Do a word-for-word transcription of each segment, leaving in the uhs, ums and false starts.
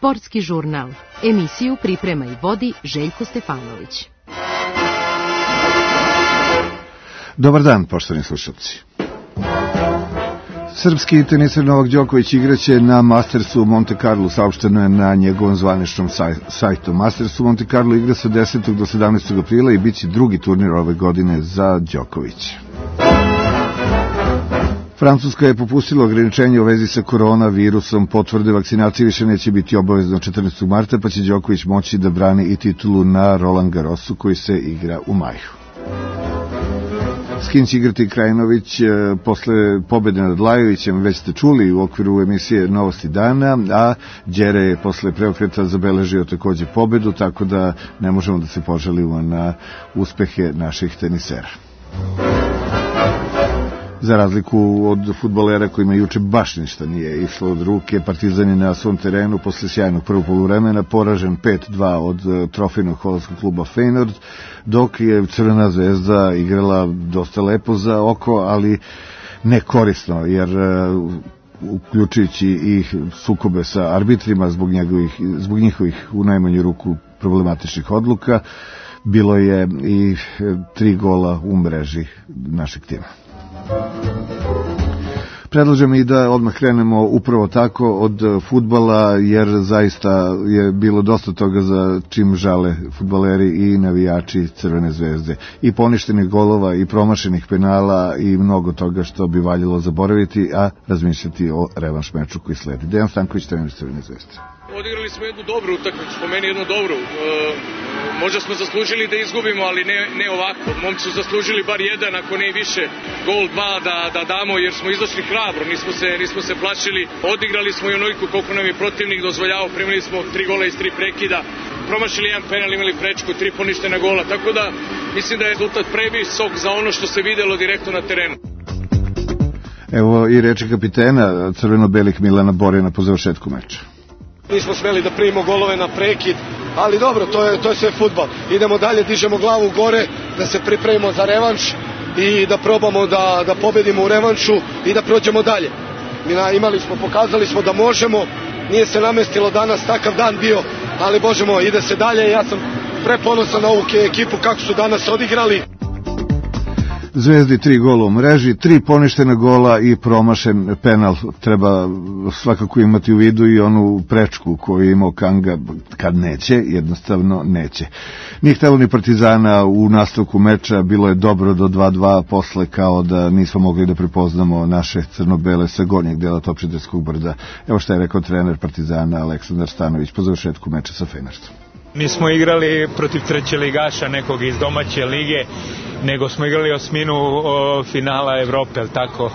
Sportski žurnal. Emisiju priprema i vodi Željko Stefanović. Dobar dan, poštovani slušalci. Srpski teniser Novak Đoković igraće na Mastersu u Monte Carlo, saopšteno je na njegovom zvaničnom sajtu. Masters u Monte Carlo igra se od desetog do sedamnaestog aprila i bit će drugi turnir ove godine za Đokovića. Francuska je popustila ograničenje u vezi sa koronavirusom. Potvrde vakcinacije više neće biti obavezno četrnaestog marta, pa će Đoković moći da brani i titulu na Roland Garrosu koji se igra u maju. S kim će igrati Krajinović posle pobede nad Lajovićem, već ste čuli u okviru emisije Novosti dana, a Đere je posle preokreta zabeležio takođe pobedu, tako da ne možemo da se požalimo na uspehe naših tenisera. Za razliku od fudbalera kojima juče baš ništa nije išlo od ruke, Partizan je na svom terenu posle sjajnog prvog poluvremena poražen pet dva od trofejnog holandskog kluba Feyenoord, dok je Crvena zvezda igrala dosta lepo za oko, ali nekorisno, jer uključujući i sukobe sa arbitrima zbog, njegovih, zbog njihovih u najmanju ruku problematičnih odluka, bilo je i tri gola u mreži našeg tima. Predlažem i da odmah krenemo upravo tako od fudbala, jer zaista je bilo dosta toga za čim žale fudbaleri i navijači Crvene zvezde. I poništenih golova i promašenih penala i mnogo toga što bi valjalo zaboraviti, a razmišljati o revanš meču koji sledi. Dejan Stanković, trener Crvene zvezde. Odigrali smo jednu dobru utakmicu, po meni jednu dobru. E, možda smo zaslužili da izgubimo, ali ne, ne ovako. Momci su zaslužili bar jedan, ako ne i više, gol dva da, da damo, jer smo izašli hrabro, nismo se, nismo se plašili. Odigrali smo i onoliko koliko nam je protivnik dozvoljavao, primili smo tri gola iz tri prekida, promašili jedan penal, imali prečku, tri poništena gola, tako da mislim da je rezultat previsok za ono što se videlo direktno na terenu. Evo i reči kapitena crveno-belih Milana Borjana po završetku meča. Nismo smeli da primimo golove na prekid, ali dobro, to je, to je sve fudbal. Idemo dalje, dižemo glavu gore, da se pripremimo za revanš i da probamo da, da pobedimo u revanšu i da prođemo dalje. Mi na, imali smo, pokazali smo da možemo, nije se namestilo danas takav dan bio, ali bože moj, ide se dalje. Ja sam preponosan na ovu ekipu kako su danas odigrali. Zvezdi tri gola u mreži, tri poništena gola i promašen penal. Treba svakako imati u vidu i onu prečku koju je imao Kanga, kad neće, jednostavno neće. Nije htelo ni Partizana u nastavku meča, bilo je dobro do dva dva, posle kao da nismo mogli da prepoznamo naše crno-bele sa gornjeg dela Topčiderskog brda. Evo šta je rekao trener Partizana Aleksandar Stanović po završetku meča sa Feyenoordom. Mi smo igrali protiv treće ligaša, nekog iz domaće lige, nego smo igrali osminu o, finala Evrope, tako,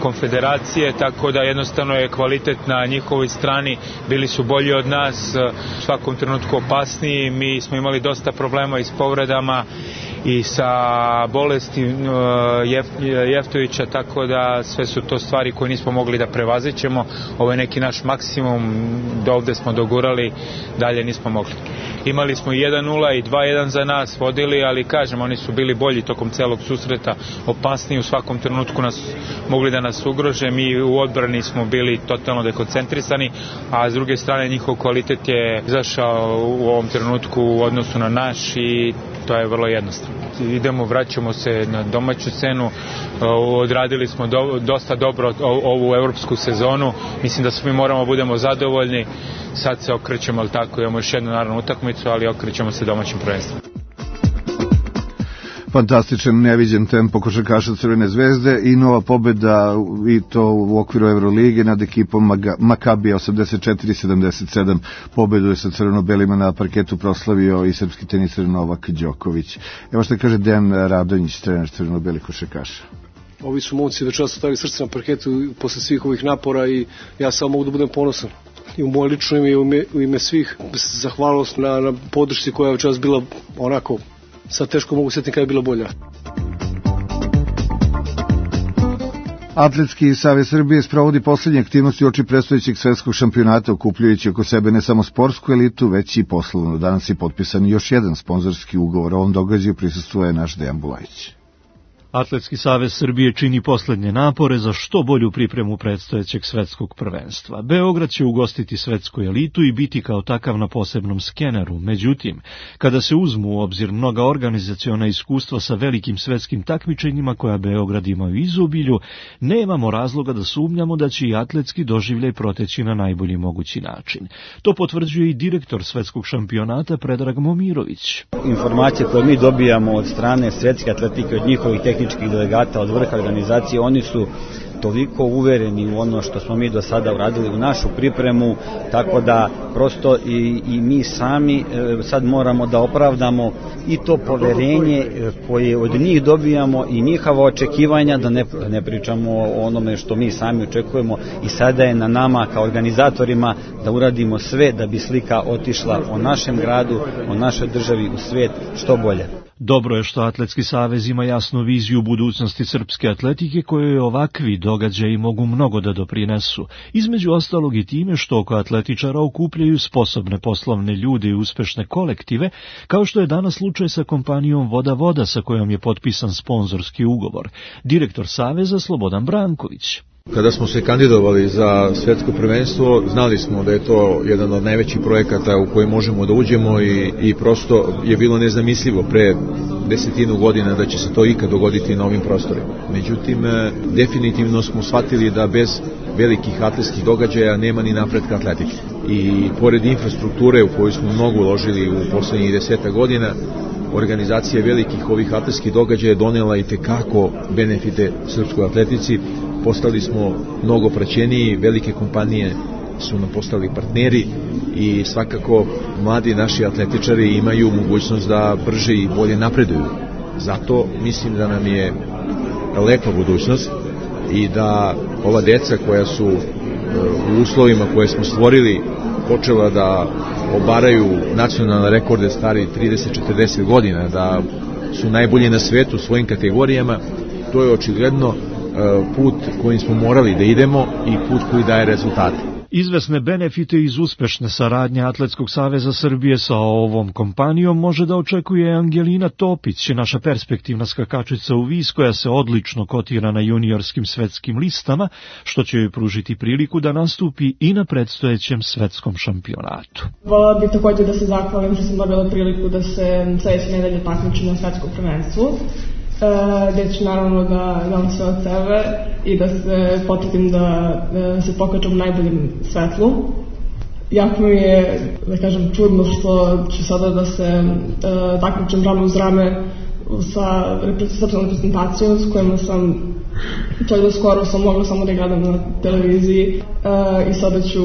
konfederacije, tako da jednostavno je kvalitet na njihovoj strani, bili su bolji od nas, u svakom trenutku opasniji, mi smo imali dosta problema i s povredama i sa bolesti Jef, Jeftovića, tako da sve su to stvari koje nismo mogli da prevazićemo. Ovo je neki naš maksimum, do ovde smo dogurali, dalje nismo mogli. Imali smo jedan nula i dva jedan za nas, vodili, ali kažem, oni su bili bolji tokom celog susreta, opasniji, u svakom trenutku nas mogli da nas ugrože, mi u odbrani smo bili totalno dekoncentrisani, a s druge strane njihov kvalitet je izašao u ovom trenutku u odnosu na naš i to je vrlo jednostavno. Idemo, vraćamo se na domaću scenu, odradili smo do, dosta dobro ovu evropsku sezonu, mislim da svi moramo budemo zadovoljni, sad se okrećemo, ali tako, imamo još jednu naravno utakmicu, ali okrećemo se domaćim prvenstvom. Fantastičan, neviđen tempo košarkaša Crvene zvezde i nova pobeda, i to u okviru Evrolige nad ekipom Makabija osamdeset četiri sedamdeset sedam. Pobedu je sa crveno-belima na parketu proslavio i srpski teniser Novak Đoković. Evo što kaže Dejan Radonjić, trener crveno-belih košarkaša. Ovi su momci večeras stavili srce na parketu posle svih ovih napora i ja samo mogu da budem ponosan. I u moje lično ime i u ime, u ime svih, zahvalnost na, na podršci koja je večeras bila onako, sad teško mogu sjetiti kada je bila bolja. Atletski savez Srbije sprovodi poslednje aktivnosti uoči predstojećeg svetskog šampionata, okupljujući oko sebe ne samo sportsku elitu, već i poslovnu. Danas je potpisan još jedan sponzorski ugovor. O ovom događaju prisustvuje naš Dejan Bulajić. Atletski savez Srbije čini poslednje napore za što bolju pripremu predstojećeg svetskog prvenstva. Beograd će ugostiti svetsku elitu i biti kao takav na posebnom skeneru. Međutim, kada se uzmu u obzir mnoga organizaciona iskustva sa velikim svetskim takmičenjima koja Beograd ima u izobilju, nemamo razloga da sumnjamo da će i atletski doživljaj proteći na najbolji mogući način. To potvrđuje i direktor svetskog šampionata Predrag Momirović. Informacije koje mi dobijamo od strane svetske atletike, od njihovih tehničkih delegata, od vrha organizacije, oni su toliko uvereni u ono što smo mi do sada uradili u našu pripremu, tako da prosto i, i mi sami e, sad moramo da opravdamo i to poverenje koje od njih dobijamo i njihova očekivanja, da ne, ne pričamo o onome što mi sami očekujemo, i sada je na nama kao organizatorima da uradimo sve da bi slika otišla o našem gradu, o našoj državi u svijet što bolje. Dobro je što Atletski savez ima jasnu viziju budućnosti srpske atletike kojoj ovakvi događaji mogu mnogo da doprinesu, između ostalog i time što oko atletičara okupljaju sposobne poslovne ljude i uspešne kolektive, kao što je danas slučaj sa kompanijom Voda Voda sa kojom je potpisan sponzorski ugovor. Direktor saveza Slobodan Branković. Kada smo se kandidovali za svetsko prvenstvo, znali smo da je to jedan od najvećih projekata u koji možemo da uđemo i, i prosto je bilo nezamislivo pre desetinu godina da će se to ikad dogoditi na ovim prostorima. Međutim, definitivno smo shvatili da bez velikih atletskih događaja nema ni napretka atletike. I pored infrastrukture u koju smo mnogo uložili u poslednjih deseta godina, organizacija velikih ovih atletskih događaja je donela i tekako benefite srpskoj atletici. Postali smo mnogo praćeniji, velike kompanije su nam postali partneri i svakako mladi naši atletičari imaju mogućnost da brže i bolje napreduju. Zato mislim da nam je lepa budućnost i da ova deca koja su u uslovima koje smo stvorili počela da obaraju nacionalne rekorde stari trideset do četrdeset godina, da su najbolji na svetu u svojim kategorijama, to je očigledno put kojim smo morali da idemo i put koji daje rezultate. Izvesne benefite iz uspešne saradnje Atletskog saveza Srbije sa ovom kompanijom može da očekuje Angelina Topić, naša perspektivna skakačica u vis koja se odlično kotira na juniorskim svetskim listama, što će joj pružiti priliku da nastupi i na predstojećem svetskom šampionatu. Volela bih također da se zahvalim što sam dobila priliku da se sledeće nedelje takmičim na svetskom prvenstvu, gde ću naravno da dam sve od sebe i da se potrudim da, da se pokažem u najboljem svetlu. Jako mi je, da kažem, čudno što ću sada da se uh, takmičim rame uz rame sa srpskom reprezentacijom s kojima sam čak do skoro sam mogla samo da gledam na televiziji uh, i sada ću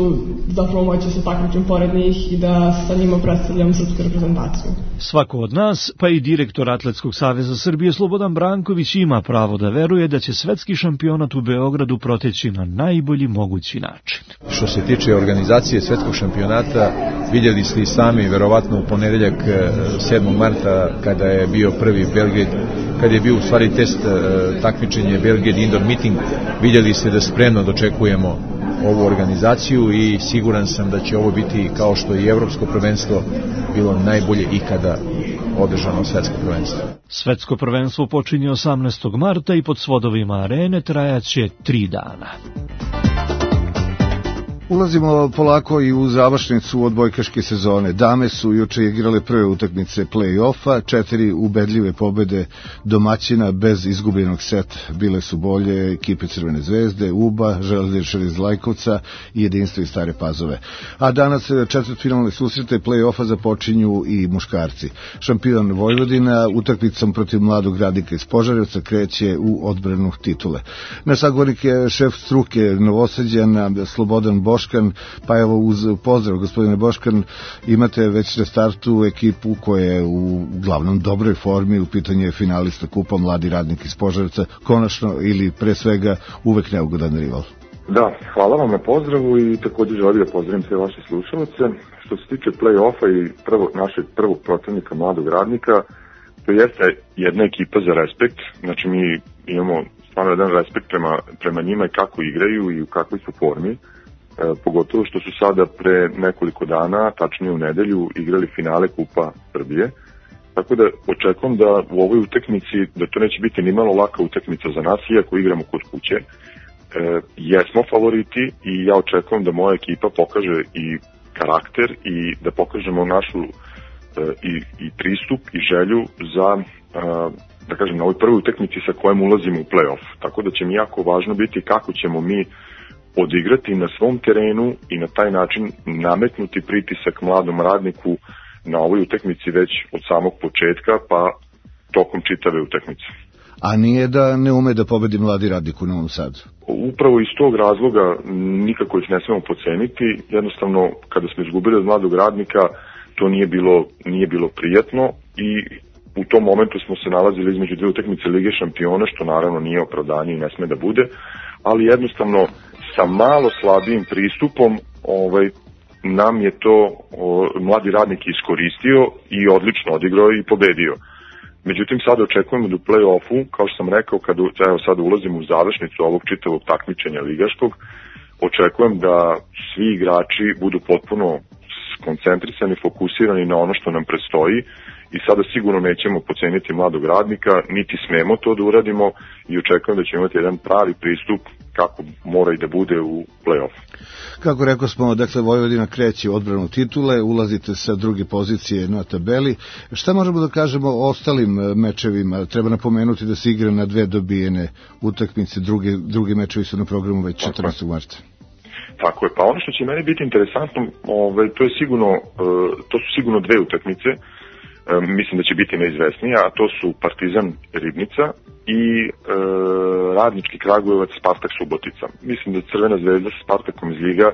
zapravo moći se takmičim pored njih i da sa njima predstavljam srpsku reprezentaciju. Svako od nas, pa i direktor Atletskog saveza Srbije Slobodan Branković ima pravo da veruje da će svetski šampionat u Beogradu proteći na najbolji mogući način. Što se tiče organizacije svetskog šampionata, vidjeli ste i sami, verovatno u ponedeljak sedmog marta kada je bio prvi Belgrade, kada je bio u stvari test takmičenje Belgrade Indoor Meeting, vidjeli ste da spremno dočekujemo ovu organizaciju i siguran sam da će ovo biti, kao što i evropsko prvenstvo bilo najbolje ikada održano svetsko prvenstvo. Svetsko prvenstvo počinje osamnaestog marta i pod svodovima arene trajaće tri dana. Ulazimo polako i u završnicu odbojkaške sezone. Dame su juče igrale prve utakmice play-offa, četiri ubedljive pobede domaćina bez izgubljenog seta. Bile su bolje ekipe Crvene zvezde, U B A, Železničar iz Lajkovca i Jedinstvo iz Stare Pazove. A danas četvrtfinalne susrete play-offa započinju i muškarci. Šampion Vojvodina utakmicom protiv mladog radnika iz Požarevca kreće u odbranu titule. Na sagovornik je šef struke Novosađana Slobodan Boškan. Pa evo, uz pozdrav gospodine Boškan, imate već na startu ekipu koja je u glavnom dobroj formi, u pitanju je finalista kupa Mladi radnik iz Požarevca, konačno ili pre svega uvek neugodan rival. Da, hvala vam na pozdravu i također želim da pozdravim sve vaše slušalce. Što se tiče play-offa i prvog, našeg prvog protivnika Mladog radnika, to jeste jedna ekipa za respekt, znači mi imamo stvarno jedan respekt prema, prema njima i kako igraju i u kakvoj su formi. E, pogotovo što su sada pre nekoliko dana, tačnije u nedelju, igrali finale Kupa Srbije tako da očekujem da u ovoj utakmici, da to neće biti ni malo laka utakmica za nas, iako igramo kod kuće. E, jesmo favoriti i ja očekujem da moja ekipa pokaže i karakter i da pokažemo našu e, i, i pristup i želju za, e, da kažem, na ovoj prvoj utakmici sa kojom ulazimo u play-off. Tako da će mi jako važno biti kako ćemo mi odigrati na svom terenu i na taj način nametnuti pritisak mladom radniku na ovoj utakmici već od samog početka pa tokom čitave utakmice. A nije da ne ume da pobedi mladi radnik u Novom Sadu? Upravo iz tog razloga nikako ih ne smemo podceniti. Jednostavno, kada smo izgubili od mladog radnika, to nije bilo, nije bilo prijatno i u tom momentu smo se nalazili između dve utakmice Lige šampiona, što naravno nije opravdanje i ne sme da bude, ali jednostavno sa malo slabijim pristupom ovaj, nam je to o, mladi radnik iskoristio i odlično odigrao i pobedio. Međutim, sada očekujemo da u play-offu, kao što sam rekao, kad evo, sada ulazimo u završnicu ovog čitavog takmičenja ligaškog, očekujem da svi igrači budu potpuno skoncentrisani, fokusirani na ono što nam predstoji i sada sigurno nećemo poceniti mladog radnika, niti smemo to da uradimo i očekujem da ćemo imati jedan pravi pristup kako mora i da bude u play-off. Kako rekao smo, dakle, Vojvodina kreće u odbranu titule, ulazite sa druge pozicije na tabeli. Šta možemo da kažemo o ostalim mečevima? Treba napomenuti da se igra na dve dobijene utakmice, druge, drugi mečevi su na programu već četrnaestog marta. Tako je, pa ono što će meni biti interesantno, ovaj, to, je sigurno, to su sigurno dve utakmice, mislim da će biti neizvesnija, a to su Partizan Ribnica i e, Radnički Kragujevac Spartak Subotica. Mislim da Crvena zvezda sa Spartakom iz Liga,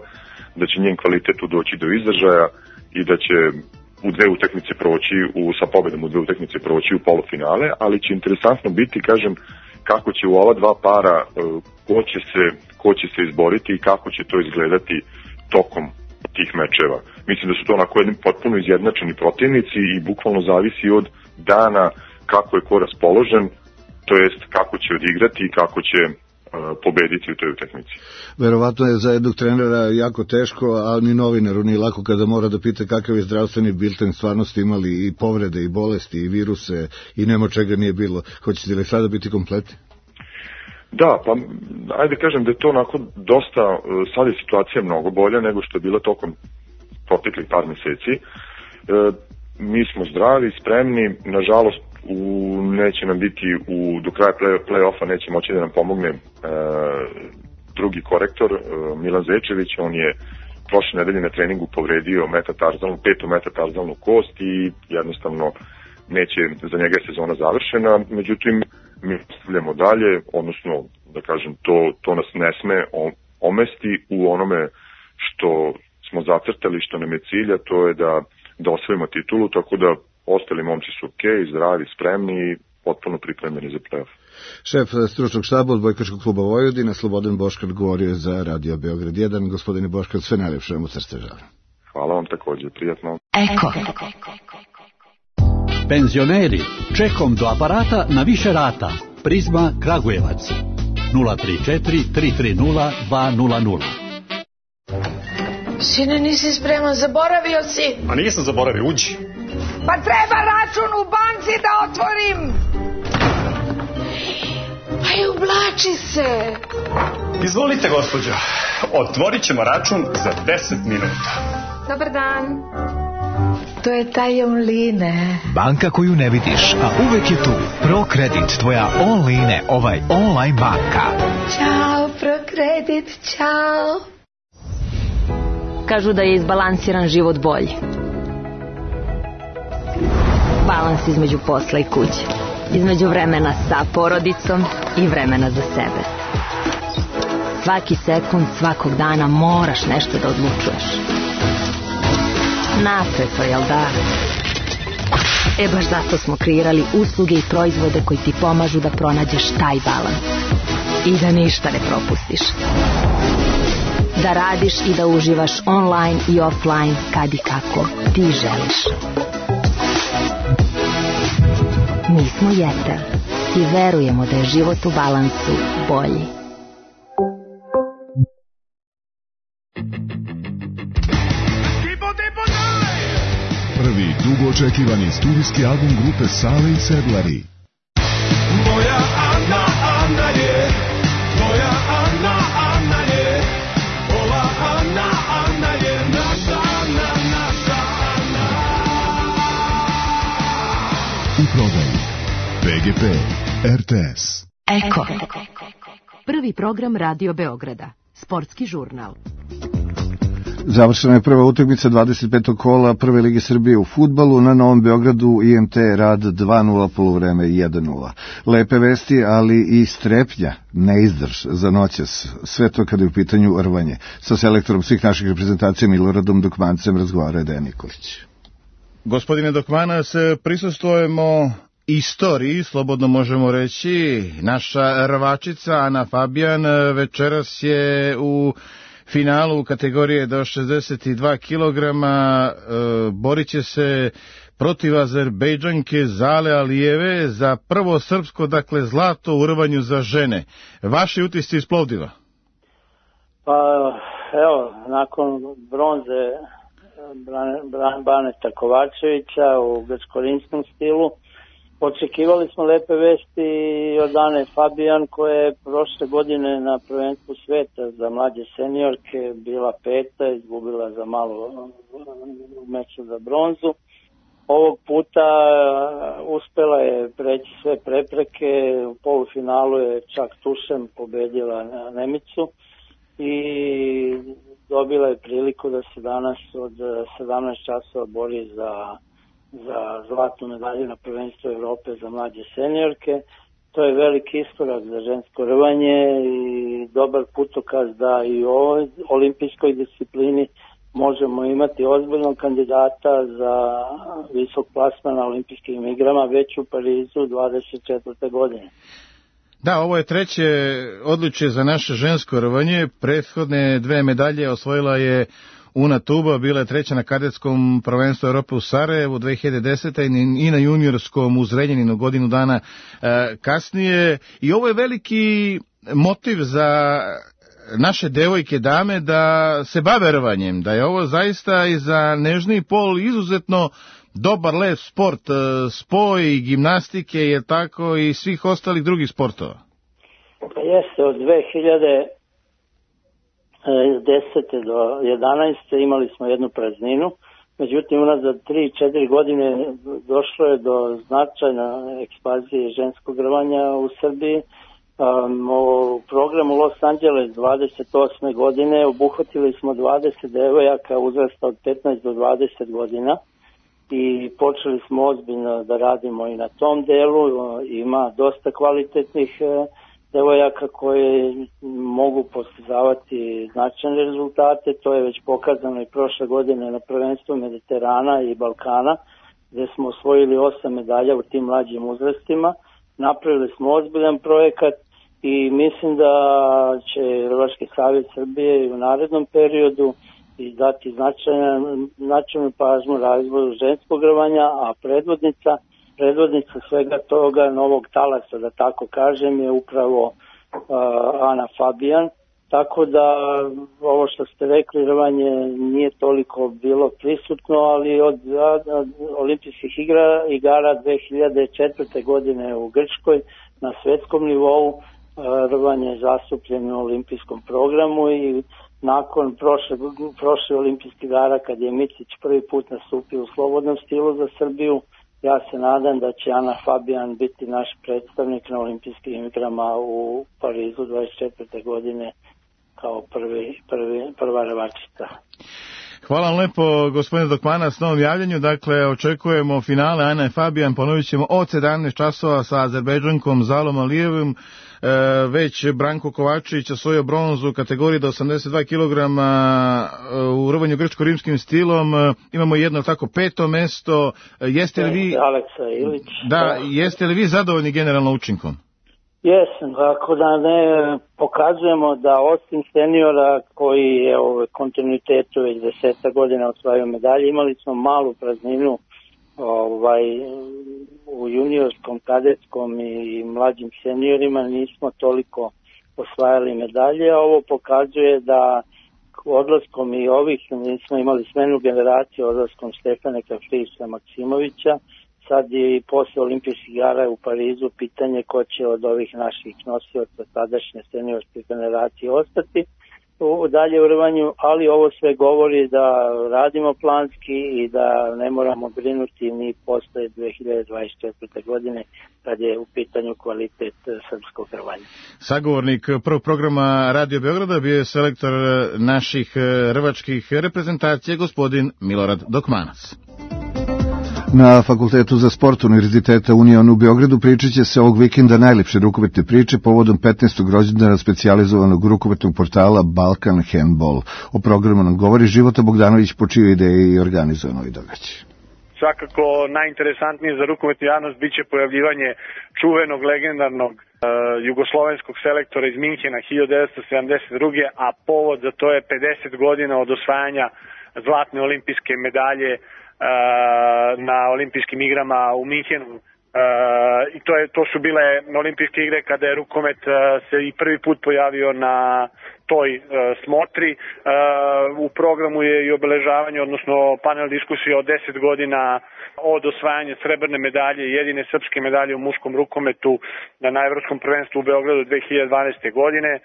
da će njen kvalitet doći do izražaja i da će u dve utakmice proći, u, sa pobedom u dve utakmice proći u polufinale, ali će interesantno biti, kažem, kako će u ova dva para, e, ko će se, ko će se izboriti i kako će to izgledati tokom tih mečeva. Mislim da su to onako jedni potpuno izjednačeni protivnici i bukvalno zavisi od dana kako je ko raspoložen, to jest kako će odigrati i kako će uh, pobediti u toj utakmici. Verovatno je za jednog trenera jako teško, a ni novinaru nije lako kada mora da pita kakav je zdravstveni bilten, stvarno ste imali i povrede i bolesti i viruse i nemo čega nije bilo. Hoćete li sada biti kompletni? Da, pa ajde kažem da je to onako dosta, sad je situacija mnogo bolja nego što je bila tokom proteklih par meseci. E, mi smo zdravi, spremni, nažalost u, neće nam biti u, do kraja play, play-offa neće moći da nam pomogne e, drugi korektor, e, Milan Zečević, on je prošle nedelje na treningu povredio metatarzalnu, petu metatarzalnu kost i jednostavno neće, za njega je sezona završena, međutim mi nastavljamo dalje, odnosno da kažem to, to nas ne sme omesti u onome što smo zacrtali, što nam je cilj, a to je da, da osvojimo titulu, tako da ostali momci su ok, zdravi, spremni i potpuno pripremljeni za play-off. Šef stručnog štaba Odbojkaškog kluba Vojvodina, Slobodan Boškar, govorio je za Radio Beograd jedan. Gospodine Boškar, sve najlepše vam od srca želim. Hvala vam također, prijatno. Eko. Penzioneri, čekom do aparata na više rata. Prizma Kragujevac. nula tri četiri tri tri nula dva nula nula. Sine, nisi spreman, zaboravio si. A nisam zaboravio, uđi. Pa treba račun u banci da otvorim. Pa i ublači se. Izvolite, gospođo. Otvorit ćemo račun za deset minuta. Dobar dan. To je taj online. Banka koju ne vidiš, a uvek je tu. ProKredit, tvoja online, ovaj online banka. Ćao, ProKredit, ćao. Kažu da je izbalansiran život bolji. Balans između posla i kuće. Između vremena sa porodicom i vremena za sebe. Svaki sekund, svakog dana moraš nešto da odlučuješ. Napeto, jel da? E baš zato smo kreirali usluge i proizvode koji ti pomažu da pronađeš taj balans. I da ništa ne propustiš. Da radiš i da uživaš online i offline kad i kako ti želiš. Mi smo Jetel i verujemo da je život u balansu bolji. Prvi dugo očekivani studijski album grupe Sale i Sedlari. Moja Ana, Ana je, moja Ana, Ana je, ova Ana, Ana je, naša Ana, naša Ana. U prodaju P G P, R T S. Eko. Prvi program Radio Beograda. Sportski žurnal. Završena je prva utakmica dvadeset petog kola Prve lige Srbije u fudbalu. Na Novom Beogradu I M T Rad dva nula, poluvreme jedan nula. Lepe vesti, ali i strepnja, neizdrž za noćas. Sve to kada je u pitanju rvanje. Sa selektorom svih naših reprezentacija Miloradom Dokmancem razgovara Dejan Nikolić. Gospodine Dokmanac, prisustvujemo istoriji, slobodno možemo reći. Naša rvačica Ana Fabijan večeras je u finalu kategorije do šezdeset dva kilograma, e, borit će se protiv Azerbejdžanke Zale Alijeve za prvo srpsko, dakle, zlato u rvanju za žene. Vaši utisci iz Plovdiva? Pa, evo, nakon bronze Baneta Kovačevića u grčko-rimskom stilu, očekivali smo lepe vesti od Ane Fabijan, koja je prošle godine na prvenstvu sveta za mlađe seniorke bila peta, izgubila za malo u meču za bronzu. Ovog puta uspela je preći sve prepreke, u polufinalu je čak tušem pobedila Nemicu i dobila je priliku da se danas od sedamnaest časova bori za za zlatnu medalju na prvenstvu Evrope za mlađe seniorke. To je veliki iskorak za žensko rvanje i dobar putokaz da i u ovoj olimpijskoj disciplini možemo imati ozbiljnog kandidata za visok plasman na olimpijskim igrama već u Parizu dvadeset četvrte godine. Da, ovo je treće odličje za naše žensko rvanje. Prethodne dve medalje osvojila je Una Tuba, bila je treća na kadetskom prvenstvu Europe u Sarajevu dve hiljade desete. i na juniorskom u Zrenjaninu godinu dana e, kasnije. I ovo je veliki motiv za naše devojke, dame, da se bave rvanjem, da je ovo zaista i za nežniji pol izuzetno dobar lep sport, spoj gimnastike je tako i svih ostalih drugih sportova. Pa jeste, od dve hiljade desete do jedanaeste imali smo jednu prazninu, međutim unazad tri četiri godine došlo je do značajne ekspanzije ženskog rvanja u Srbiji. Um, u programu Los Angeles dvadeset osme godine obuhvatili smo dvadeset devojaka uzrasta od petnaest do dvadeset godina i počeli smo ozbiljno da radimo i na tom delu. Ima dosta kvalitetnih devojaka koje mogu postizavati značajne rezultate. To je već pokazano i prošle godine na prvenstvu Mediterana i Balkana, gdje smo osvojili osam medalja u tim mlađim uzrastima. Napravili smo ozbiljan projekat i mislim da će Rvački savez Srbije i u narednom periodu i dati značajnu, značajnu pažnju razvoju ženskog rvanja, a predvodnica Predvodnica svega toga novog talasa, da tako kažem, je upravo uh, Ana Fabijan. Tako da ovo što ste rekli, rvanje nije toliko bilo prisutno, ali od, od olimpijskih igra, igara dve hiljade četvrte. godine u Grčkoj na svetskom nivou uh, rvanje je zastupljeno u olimpijskom programu i nakon prošle, prošle olimpijskih igara kad je Micić prvi put nastupio u slobodnom stilu za Srbiju, ja se nadam da će Ana Fabijan biti naš predstavnik na olimpijskim igrama u Parizu dvadeset četvrte. godine kao prvi, prvi, prva rvačica. Hvala vam lepo, gospodine Dokmanac, na ovom javljanju. Dakle, očekujemo finale Ana Fabijan, ponovit ćemo od sedamnaest časova sa Azerbejdžankom Zalom Alijevom. E, već Branko Kovačević osvojio bronzu u kategoriji do osamdeset dva kilograma u rvanju grčko-rimskim stilom. E, imamo jedno tako peto mesto. E, jeste li vi... Aleksa Ilić. Da, jeste li vi zadovoljni generalno učinkom? Jesam, ako da ne pokazujemo da osim seniora koji je u kontinuitetu već deseta godina osvajao medalje, imali smo malu prazninu ovaj, u juniorskom, kadetskom i mlađim seniorima, nismo toliko osvajali medalje. Ovo pokazuje da odlaskom i ovih, mi smo imali smenu generaciju odlaskom Stefane Kafrisa Maksimovića, sad je i posle olimpijskih igara u Parizu pitanje ko će od ovih naših nosioca tadašnje seniorske generacije ostati u dalje u rvanju, ali ovo sve govori da radimo planski i da ne moramo brinuti ni posle dve hiljade dvadeset četvrte. godine kad je u pitanju kvalitet srpskog rvanja. Sagovornik prvog programa Radio Beograda bio je selektor naših rvačkih reprezentacija gospodin Milorad Dokmanac. Na Fakultetu za sport Univerziteta Union u Beogradu pričat će se ovog vikenda najlepše rukometne priče povodom petnaestog rođendana specijalizovanog rukometnog portala Balkan Handball. O programu nam govori Života Bogdanović, po čijoj ideji i organizovano i događaj. Svakako najinteresantnije za rukometnu javnost biće pojavljivanje čuvenog legendarnog uh, jugoslovenskog selektora iz Minhena hiljadu devetsto sedamdeset druge. a povod za to je pedeset godina od osvajanja zlatne olimpijske medalje na olimpijskim igrama u Minhenu. I to, je, to su bile olimpijske igre kada je rukomet se i prvi put pojavio na toj smotri. U programu je i obeležavanje, odnosno panel diskusije od deset godina od osvajanja srebrne medalje, jedine srpske medalje u muškom rukometu na evropskom prvenstvu u Beogradu dve hiljade dvanaeste. godine.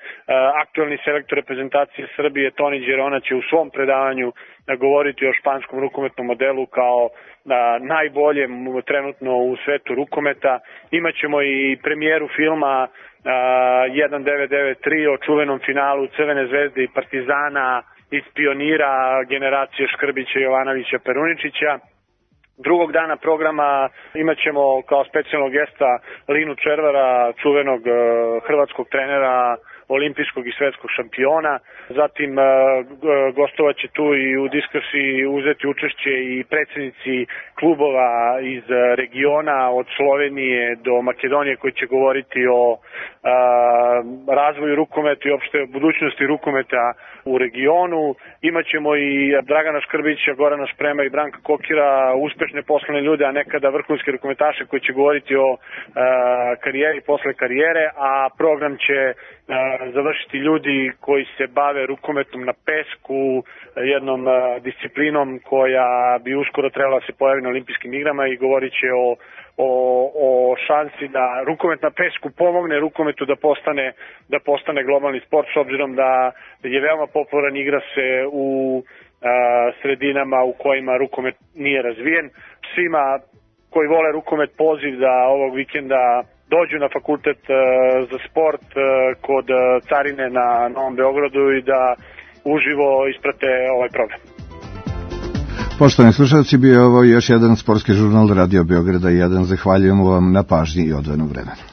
Aktuelni selektor reprezentacije Srbije Toni Đerona će u svom predavanju govoriti o španskom rukometnom modelu kao najboljem trenutno u svetu rukometa. Imaćemo i premijeru filma jedan devet devet tri o čuvenom finalu Crvene zvezde i Partizana iz pionira generacije Škrbića, Jovanovića, Peruničića. Drugog dana programa imaćemo kao specijalnog gesta Linu Červara, čuvenog hrvatskog trenera, olimpijskog i svetskog šampiona. Zatim gostovat će tu i u diskusiji uzeti učešće i predsjednici klubova iz regiona od Slovenije do Makedonije koji će govoriti o a, razvoju rukometa i opšte budućnosti rukometa u regionu. Imaćemo i Dragana Škrbića, Gorana Šprema i Branka Kokira, uspešne poslovne ljude, a nekada vrhunske rukometaše koji će govoriti o a, karijeri posle karijere, a program će a, završiti ljudi koji se bave rukometom na pesku, jednom a, disciplinom koja bi uskoro trebala se pojaviti na olimpijskim igrama i govorit će o, o, o šansi da rukomet na pesku pomogne rukometu da postane, da postane globalni sport, s obzirom da je veoma popularan, igra se u a, sredinama u kojima rukomet nije razvijen. Svima koji vole rukomet poziv da ovog vikenda dođu na fakultet uh, za sport uh, kod uh, Carine na Novom Beogradu i da uživo isprate ovaj program. Poštovani slušalci, bio je ovo još jedan sportski žurnal Radio Beograda jedan. Zahvaljujemo vam na pažnji i odvojenom vremenu.